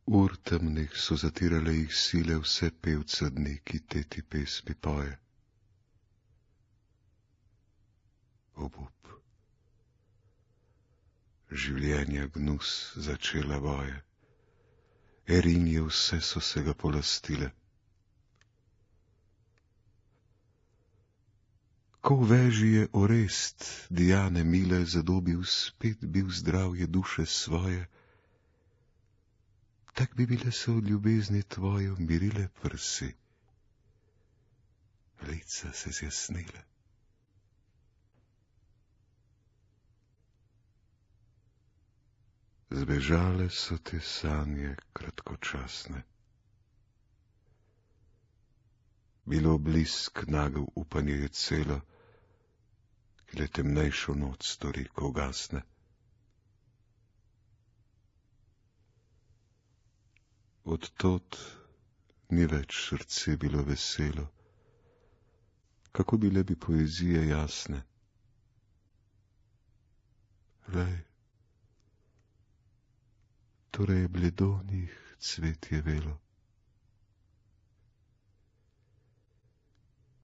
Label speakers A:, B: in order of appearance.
A: Ur temnih so zatirale jih sile vse pevce dni, ki te ti pesmi poje. Obup, življenja gnus začela boje, Erinje vse so se ga polastile. Ko v veži je Orest Diane mile zadobil, spet bil zdravje duše svoje, tak bi bile se od ljubezni tvoje umirile prsi, lica se zjasnile. Zbežale so te sanje kratkočasne. Bilo blisk nagel upanje je celo, ki le temnejšo noč stori, ko ugasne. Od tod ni več srce bilo veselo, kako bile bi poezije jasne. Lej, torej bledo njih cvetje velo.